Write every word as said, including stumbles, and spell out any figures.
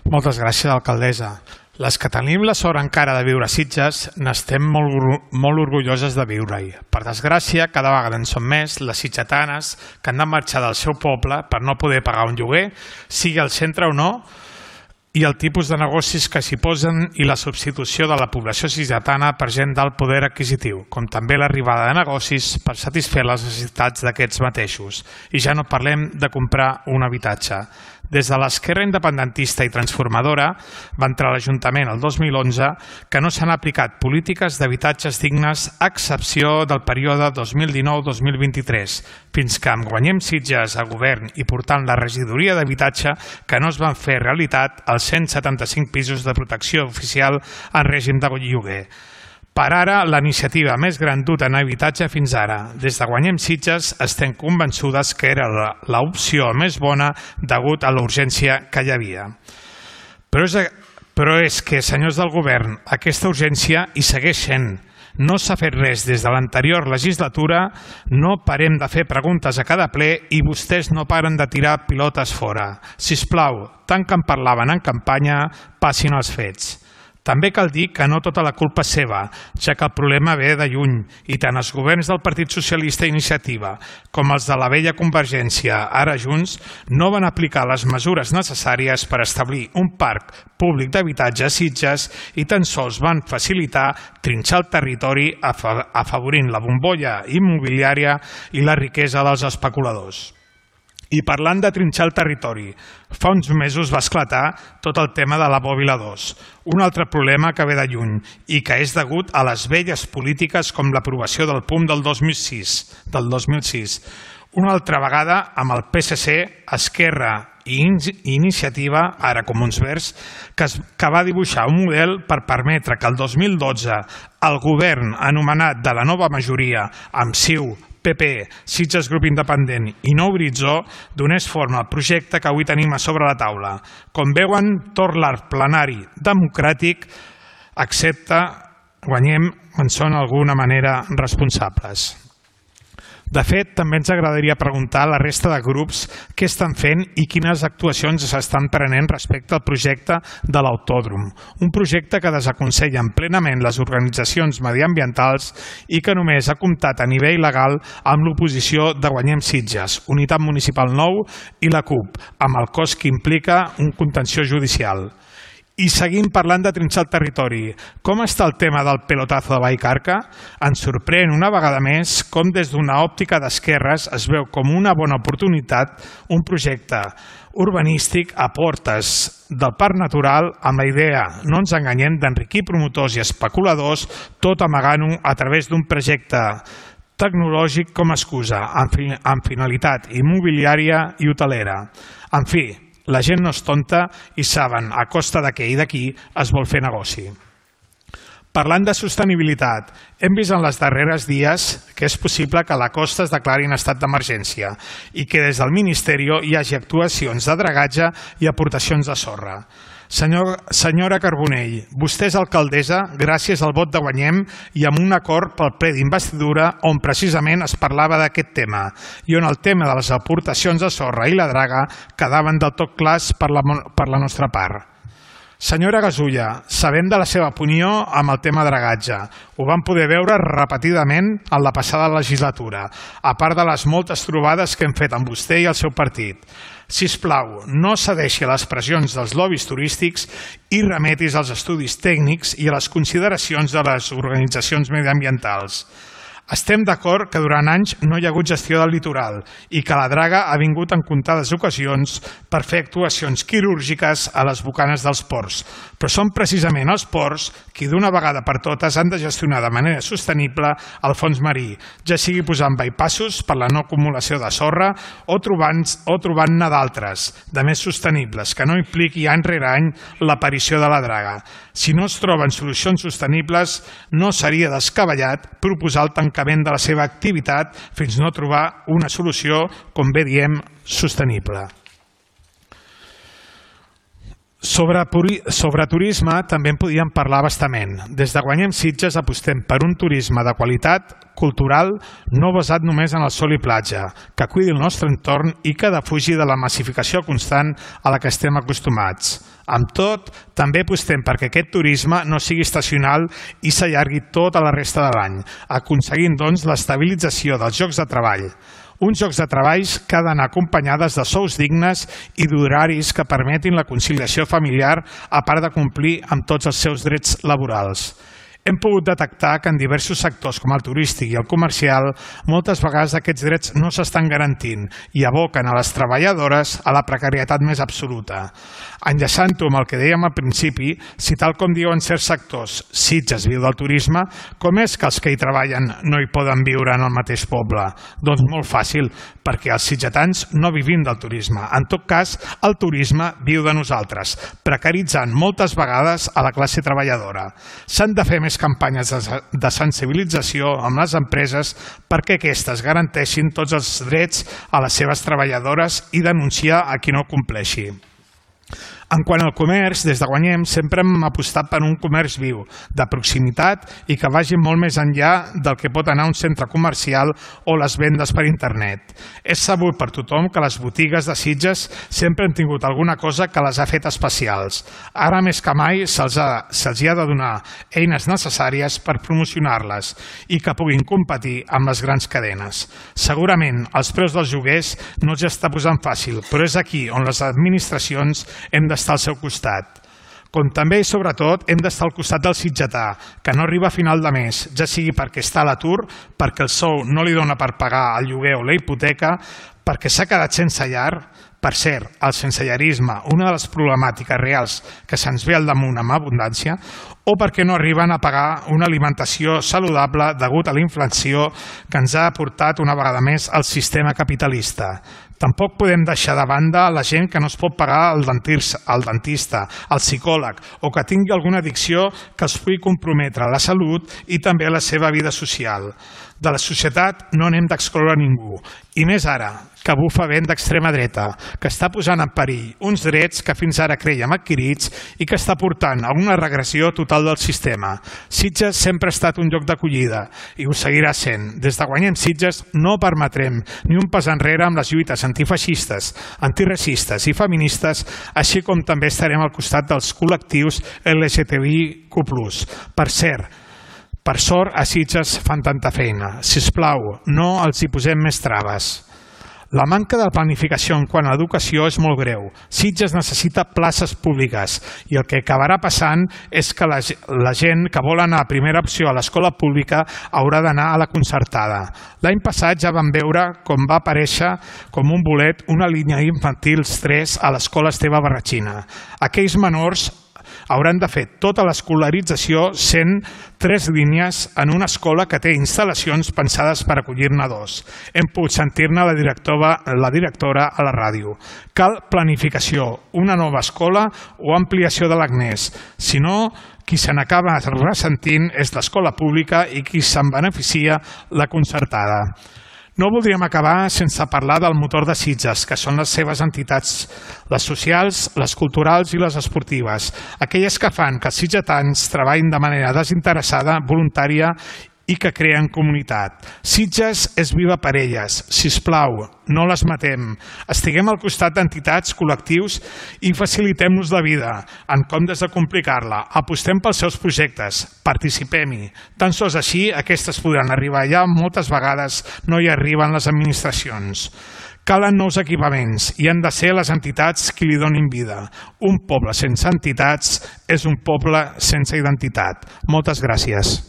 Moltes gràcies, alcaldessa. Les que tenim la sort encara de viure a Sitges n'estem molt, molt orgulloses de viure-hi. Per desgràcia, cada vegada en són més les sitgetanes que han de marxar del seu poble per no poder pagar un lloguer, sigui al centre o no, i el tipus de negocis que s'hi posen i la substitució de la població sitgetana per gent d'alt poder adquisitiu, com també l'arribada de negocis per satisfer les necessitats d'aquests mateixos. I ja no parlem de comprar un habitatge. Des de l'esquerra independentista i transformadora va entrar a l'Ajuntament el dos mil onze que no s'han aplicat polítiques d'habitatges dignes a excepció del període dos mil dinou dos mil vint-i-tres, fins que amb Guanyem Sitges a govern i portant la regidoria d'habitatge que no es van fer realitat els cent setanta-cinc pisos de protecció oficial en règim de lloguer. Per ara, la iniciativa més gran duta en habitatge fins ara. Des de Guanyem Sitges estem convençudes que era l'opció més bona degut a la urgència que hi havia. Però és, però és que, senyors del govern, aquesta urgència hi segueix sent. No s'ha fet res des de l'anterior legislatura, no parem de fer preguntes a cada ple i vostès no paren de tirar pilotes fora. Sisplau, tant que en parlaven en campanya, passin els fets. També cal dir que no tota la culpa és seva, ja que el problema ve de lluny i tant els governs del Partit Socialista i Iniciativa com els de la vella Convergència, ara Junts, no van aplicar les mesures necessàries per establir un parc públic d'habitatge a Sitges i tan sols van facilitar trinxar el territori afavorint la bombolla immobiliària i la riquesa dels especuladors. I parlant de trinxar el territori, fa uns mesos va esclatar tot el tema de la Bòbila dos, un altre problema que ve de lluny i que és degut a les velles polítiques com l'aprovació del P U M del dos mil sis, del dos mil sis. Una altra vegada amb el P S C, Esquerra i Iniciativa, ara Comuns Verds, que, es, que va dibuixar un model per permetre que el dos mil dotze el govern anomenat de la nova majoria amb C I U, P P, Sitges Grup Independent i Nou Horitzó donés forma al projecte que avui tenim a sobre la taula. Com veuen, tot l'arc plenari democràtic excepte Guanyem en són d'alguna manera responsables. De fet, també ens agradaria preguntar a la resta de grups què estan fent i quines actuacions s'estan prenent respecte al projecte de l'autòdrom. Un projecte que desaconsellen plenament les organitzacions mediambientals i que només ha comptat a nivell legal amb l'oposició de Guanyem Sitges, Unitat Municipal Nou i la C U P, amb el cost que implica un contenció judicial. I seguim parlant de trinxar el territori. Com està el tema del pelotazo de Vallcarca? Ens sorprèn una vegada més com des d'una òptica d'esquerres es veu com una bona oportunitat un projecte urbanístic a portes del Parc Natural amb la idea, no ens enganyem, d'enriquir promotors i especuladors, tot amagant-ho a través d'un projecte tecnològic com a excusa, amb finalitat immobiliària i hotelera. En fi, la gent no és tonta i saben a costa d'aquí i d'aquí es vol fer negoci. Parlant de sostenibilitat, hem vist en les darreres dies que és possible que a la costa es declari en estat d'emergència i que des del Ministeri hi hagi actuacions de dragatge i aportacions de sorra. Senyor, senyora Carbonell, vostè és alcaldessa gràcies al vot de Guanyem i amb un acord pel ple d'investidura on precisament es parlava d'aquest tema i on el tema de les aportacions de sorra i la draga quedaven del tot clars per la, per la nostra part. Senyora Gasulla, sabem de la seva opinió amb el tema dragatge. Ho vam poder veure repetidament en la passada legislatura, a part de les moltes trobades que hem fet amb vostè i el seu partit. Sisplau, no cedeixi a les pressions dels lobbies turístics i remetis als estudis tècnics i a les consideracions de les organitzacions mediambientals. Estem d'acord que durant anys no hi ha hagut gestió del litoral i que la draga ha vingut en comptades ocasions per fer actuacions quirúrgiques a les bocanes dels ports, però són precisament els ports qui d'una vegada per totes han de gestionar de manera sostenible el fons marí, ja sigui posant bypassos per la no acumulació de sorra o trobant-ne o trobant-ne d'altres, de més sostenibles, que no impliqui any rere any l'aparició de la draga. Si no es troben solucions sostenibles, no seria descabellat proposar el tancament de la seva activitat fins no trobar una solució, com bé diem, sostenible. Sobre, sobre turisme també en podíem parlar bastament. Des de Guanyem Sitges apostem per un turisme de qualitat cultural no basat només en el sol i platja, que cuidi el nostre entorn i que defugi de la massificació constant a la que estem acostumats. Amb tot, també apostem perquè aquest turisme no sigui estacional i s'allargui tota la resta de l'any, aconseguint doncs l'estabilització dels llocs de treball. Uns llocs de treball que han d'anar acompanyades de sous dignes i d'horaris que permetin la conciliació familiar a part de complir amb tots els seus drets laborals. Hem pogut detectar que en diversos sectors com el turístic i el comercial moltes vegades aquests drets no s'estan garantint i aboquen a les treballadores a la precarietat més absoluta. Enllaçant-ho amb el que dèiem al principi, si tal com diuen certs sectors, Sitges viu del turisme, com és que els que hi treballen no hi poden viure en el mateix poble? Doncs molt fàcil, perquè els sitgetans no vivim del turisme. En tot cas, el turisme viu de nosaltres, precaritzant moltes vegades a la classe treballadora. S'han de fer més campanyes de sensibilització amb les empreses perquè aquestes garanteixin tots els drets a les seves treballadores i denunciar a qui no compleixi. En quant al comerç, des de Guanyem sempre hem apostat per un comerç viu, de proximitat i que vagi molt més enllà del que pot anar un centre comercial o les vendes per internet. És sabut per tothom que les botigues de Sitges sempre han tingut alguna cosa que les ha fet especials. Ara més que mai se'ls ha, se'ls hi ha de donar eines necessàries per promocionar-les i que puguin competir amb les grans cadenes. Segurament els preus dels lloguers no els està posant fàcil, però és aquí on les administracions hem d'estar al seu costat. Com també i sobretot hem d'estar al costat del sitgetà, que no arriba a final de mes, ja sigui perquè està a l'atur, perquè el sou no li dona per pagar el lloguer o la hipoteca, perquè s'ha quedat sense llar. Per cert, el sensellarisme, una de les problemàtiques reals que se'ns ve al damunt amb abundància, o perquè no arriben a pagar una alimentació saludable degut a la inflació que ens ha aportat una vegada més el sistema capitalista. Tampoc podem deixar de banda la gent que no es pot pagar el dentista, el psicòleg o que tingui alguna addicció que els pugui comprometre la salut i també la seva vida social. De la societat no n'hem d'excloure ningú, i més ara, que bufa vent d'extrema dreta, que està posant en perill uns drets que fins ara crèiem adquirits i que està portant a una regressió total del sistema. Sitges sempre ha estat un lloc d'acollida i ho seguirà sent. Des de Guanyem Sitges no permetrem ni un pas enrere amb les lluites antifeixistes, antiracistes i feministes, així com també estarem al costat dels col·lectius L G T B I Q plus. Per cert, per sort a Sitges fan tanta feina. Sisplau, no els hi posem més traves. La manca de planificació en quant a l'educació és molt greu. Sitges necessita places públiques i el que acabarà passant és que la, la gent que vol anar a primera opció a l'escola pública haurà d'anar a la concertada. L'any passat ja vam veure com va aparèixer com un bolet una línia infantil tres a l'escola Esteve Barratxina. Aquells menors hauran de fer tota l'escolarització sent tres línies en una escola que té instal·lacions pensades per acollir-ne dos. Hem pogut sentir-ne la directora, la directora a la ràdio. Cal planificació, una nova escola o ampliació de l'Agnès. Si no, qui se n'acaba ressentint és l'escola pública i qui se'n beneficia la concertada. No voldríem acabar sense parlar del motor de Sitges, que són les seves entitats, les socials, les culturals i les esportives, aquelles que fan que els sitgetans treballin de manera desinteressada, voluntària i que creen comunitat. Sitges és viva per elles. Sisplau, no les matem. Estiguem al costat d'entitats, col·lectius i facilitem-nos la vida en comptes de complicar-la. Apostem pels seus projectes, participem-hi. Tan sols així aquestes podran arribar allà on moltes vegades no hi arriben les administracions. Calen nous equipaments i han de ser les entitats qui li donin vida. Un poble sense entitats és un poble sense identitat. Moltes gràcies.